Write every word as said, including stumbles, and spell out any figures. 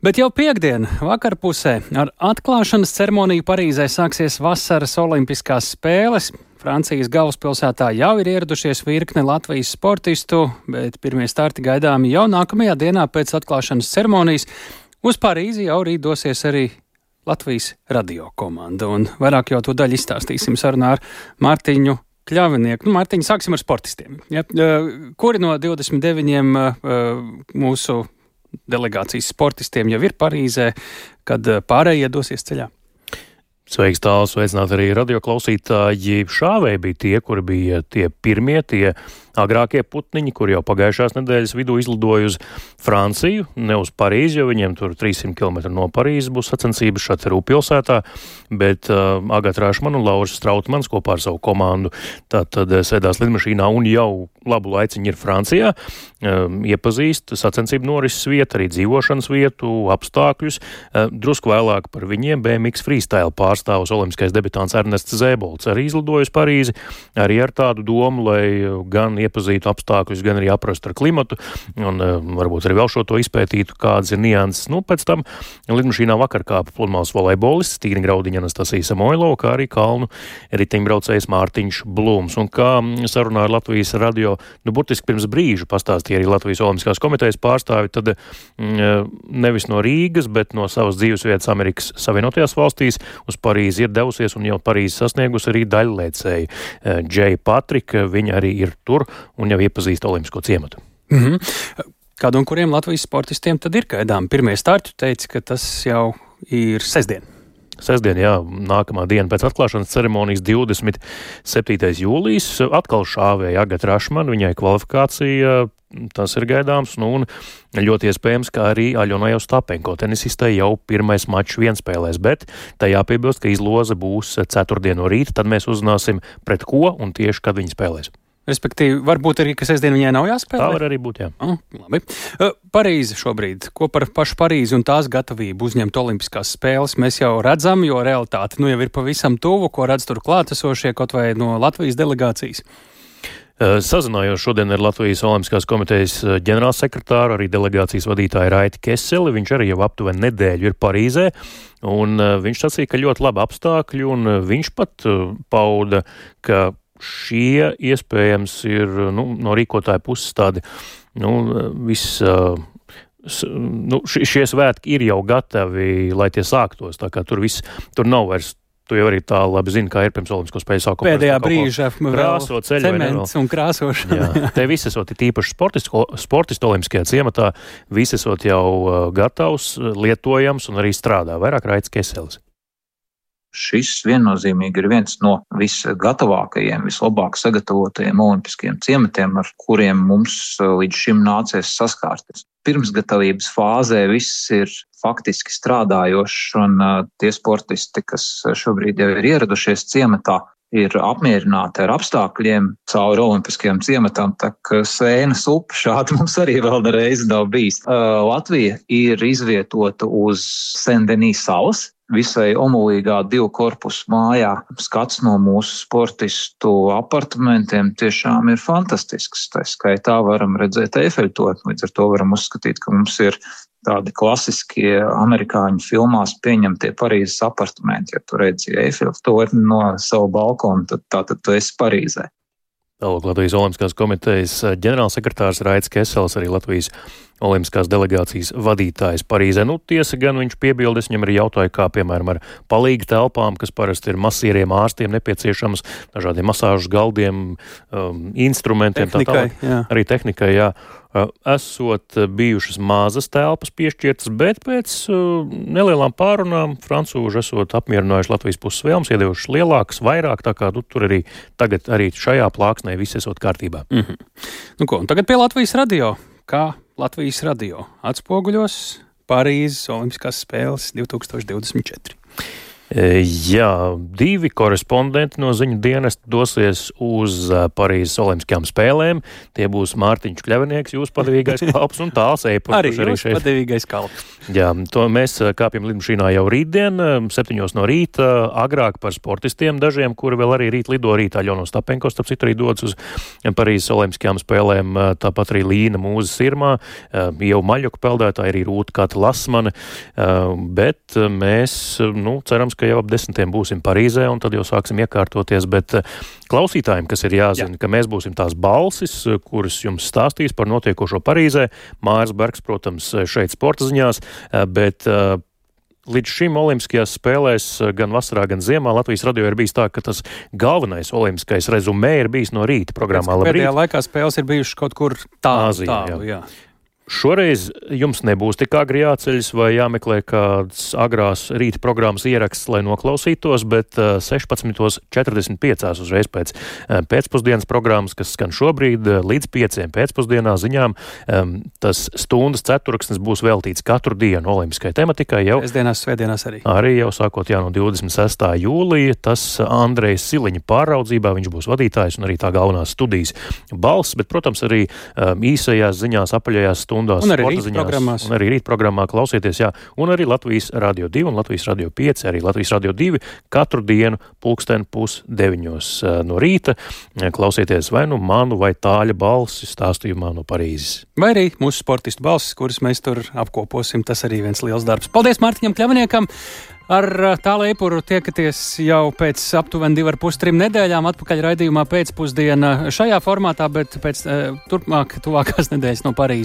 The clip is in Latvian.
Bet jau piekdien vakarpusē ar atklāšanas ceremoniju Parīzē sāksies vasaras olimpiskās spēles. Francijas galvaspilsētā jau ir ieradušies virkne Latvijas sportistu, bet pirmie starti gaidāmi jau nākamajā dienā pēc atklāšanas ceremonijas. Uz Parīzi jau rīt dosies arī Latvijas radio komanda, un vairāk jau to daļu izstāstīsim sarunā ar Mārtiņu Kļavinieku. Nu, Mārtiņ, sāksim ar sportistiem. Ja? Kuri no divdesmit deviņiem mūsu delegācijas sportistiem jau ir Parīzē, kad pārējie dosies ceļā? Sveiks, tālu, sveicināt arī radioklausītāji. Šāvēji bija tie, kuri bija tie pirmie, tie agrākie putniņi, kuri jau pagājušās nedēļas vidū izlidoja uz Franciju, ne uz Parīzi, jo viņiem tur trīssimt kilometru no Parīzes būs sacensības šeit Rū pilsētā, bet uh, Agata Rašmana un Lauris Strautmans kopā ar savu komandu tātad sēdās lidmašīnā un jau labu laiciņu ir Francijā, um, iepazīst sacensību norises vietu, arī dzīvošanas vietu, apstākļus. Uh, drusku vēlāk par viņiem B M X freestyle pārstāvs olimpiskais debitāns Ernests Zēbolts arī izlidoja uz Parīzi, arī ar tādu domu, lai gan iepazītu apstākļus, gan arī aprastu ar klimatu, un uh, varbūt arī vēl šo to izpētītu, kādas ir nianses. Nu, pēc tam lidmašīnā vakar kāpa pludmales volejbolists Tīgni Graudiņa Anastasija Samoilova, kā arī kalnu riteņbraucējs Mārtiņš Blūms. Un kā sarunā ar Latvijas radio, nu, burtiski pirms brīža pastāstīja arī Latvijas Olimpiskās komitejas pārstāvi, tad mm, nevis no Rīgas, bet no savas dzīvesvietas Amerikas Savienotajās valstīs uz Parīzi ir devusies un jau Parīzi sasniegusi arī daļliecēji Džeja Patrika, viņa arī ir tur un jau iepazīst olimpisko ciematu. Mm-hmm. Kādu un kuriem Latvijas sportistiem tad ir gaidām pirmie starti? Teici, ka tas jau ir sestdien. Sestdien, jā, nākamā diena pēc atklāšanas ceremonijas divdesmit septītais jūlijas. Atkal šāvēja Agata Rašmana, viņai kvalifikācija, tas ir gaidāms, nu un ļoti iespējams, ka arī Aļonai Ostapenko tenisistē jau pirmais mačs vienspēlēs, bet tā jāpiebilst, ka izloze būs ceturtdien no rīta, tad mēs uzzināsim pret ko un tieši, kad viņi spēlēs. Respektīvi, varbūt arī, ka sestdien viņai nav jāspēlē? Tā var arī būt, jā. Oh, labi. Parīze šobrīd. Ko par pašu Parīzi un tās gatavību uzņemt olimpiskās spēles? Mēs jau redzam, jo realitāte nu jau ir pavisam tuvu, ko redz tur klātesošie, kaut vai no Latvijas delegācijas. Sazinājos šodien ar Latvijas Olimpiskās komitejas ģenerālsekretāru, arī delegācijas vadītāju Raiti Keseli. Viņš arī jau aptuveni nedēļu ir Parīzē, un viņš sacīja, ka ļoti labi apstākļi, un viņš pat pauda, ka šie iespējams ir nu, no rīkotāja puses tādi nu, viss, nu, šie svētki ir jau gatavi, lai tie sāktos, tā kā tur viss, tur nav vairs. Tu jau arī tā labi zini, kā ir pirms olimpisko spēļu sākuma. Pēdējā brīža krāso ceļu, cements un krāsošana. Jā, te visi esot tīpaši sportistu, sportistu olimpiskajā ciematā, visi esot jau gatavs, lietojams un arī strādā. Vairāk Raits Keselis. Šis viennozīmīgi ir viens no visgatavākajiem, vislabāk sagatavotajiem olimpiskajiem ciematiem, ar kuriem mums līdz šim nācies saskārties. Pirmsgatavības fāzē viss ir faktiski strādājošs, un tie sportisti, kas šobrīd jau ir ieradušies ciematā, ir apmierināti ar apstākļiem cauri olimpiskajiem ciematam, tā ka Sēnas upe šādi mums arī vēl nereiz nav bijis. Latvija ir izvietota uz Sen-Denis salas, visai omulīgā divu korpusu mājā. Skats no mūsu sportistu apartamentiem tiešām ir fantastisks. Tā skaitā varam redzēt Eifeļtorni, līdz ar to varam uzskatīt, ka mums ir tādi klasiskie amerikāņu filmās pieņemtie Parīzes apartamenti. Ja tu redzi Eifeļtorni no savu balkonu, tad tātad tu esi Parīzē. Tālāk Latvijas Olimpiskās komitejas ģenerālsekretārs Raits Kesels, arī Latvijas Olimpiskās delegācijas vadītājs Parīzē. Nu, tiesa gan viņš piebildes, viņam arī jautāja, kā piemēram ar palīgu telpām, kas parasti ir masīriem ārstiem nepieciešams, dažādiem masāžu galdiem, um, instrumentiem, tehnikai, tā tālāk. Arī tehnikai, jā. Esot bijušas mazas telpas piešķirtas, bet pēc uh, nelielām pārunām francūži esot apmierinājuši Latvijas puses vēlmes, iedevušas lielākas, vairāk, tā kā nu, tur arī tagad arī šajā plāksnē viss esot kārtībā. Mm-hmm. Nu ko, un tagad pie Latvijas radio. Kā Latvijas radio atspoguļos Parīzes Olimpiskās spēles divtūkstoš divdesmit četri? Jā, divi korespondenti no ziņu dienesta dosies uz Parīzes Olimpiskajām spēlēm. Tie būs Mārtiņš Kļavinieks, jūs padevīgais kalps, un Tāls Eipurs. Arī jūs padevīgais kalps. Jā, to mēs kāpjam lidmašīnā jau rītdien, septiņos no rīta, agrāk par sportistiem dažiem, kuri vēl arī rīt lido rītā. Ļono Stapenko, starp citu, arī dodas uz Parīzes Olimpiskajām spēlēm, tāpat arī Līna Mūza Sirmā, jau maļoku peldētāji, arī Rūta Kata Lasmane, bet mēs, nu, cerams, ka jau ap desmitiem būsim Parīzē, un tad jau sāksim iekārtoties, bet klausītājiem, kas ir jāzina, Jā. ka mēs būsim tās balsis, kuras jums stāstīs par notiekošo Parīzē. Māris Bergs, protams, šeit sporta ziņās, bet līdz šim Olimpiskajās spēlēs gan vasarā, gan ziemā Latvijas radio ir bijis tā, ka tas galvenais olimpiskais rezumē ir bijis no rīta programmā. Pēdējā laikā spēles ir bijušas kaut kur tālu, Āzijā, tālu, jā. jā. Šoreiz jums nebūs tik agri jāceļas vai jāmeklē kāds agrās rīta programmas ieraksts, lai noklausītos, bet sešpadsmit četrdesmit pieci uzreiz pēc pēcpusdienas programmas, kas skan šobrīd līdz pieciem pēcpusdienā ziņām, tas stundas ceturksnis būs veltīts katru dienu olimpiskai tematikai. Jau Svētdienās, svētdienās arī. Arī jau sākot jā no divdesmit sestā jūlija, tas Andrejs Siliņa pāraudzībā, viņš būs vadītājs un arī tā galvenās studijas balss, bet, protams, arī īsajās ziņās, apaļajās stundās. Un arī rīt programmās. Un arī rīt programmā klausieties, jā. Un arī Latvijas radio divi un Latvijas radio pieci, arī Latvijas radio divi katru dienu pulksten pus deviņos no rīta. Klausieties vai nu manu vai Tāļa balsi stāstījumā no Parīzes. Vai arī mūsu sportistu balsis, kuras mēs tur apkoposim. Tas arī viens liels darbs. Paldies Mārtiņam Kļaviniekam! Ar Tālu Eipuru tiekaties jau pēc aptuveni divu ar pus trim nedēļām atpakaļ raidījumā pēcpusdiena šajā formātā, bet pēc turpmāk tuvākās nedēļas no Parīzes.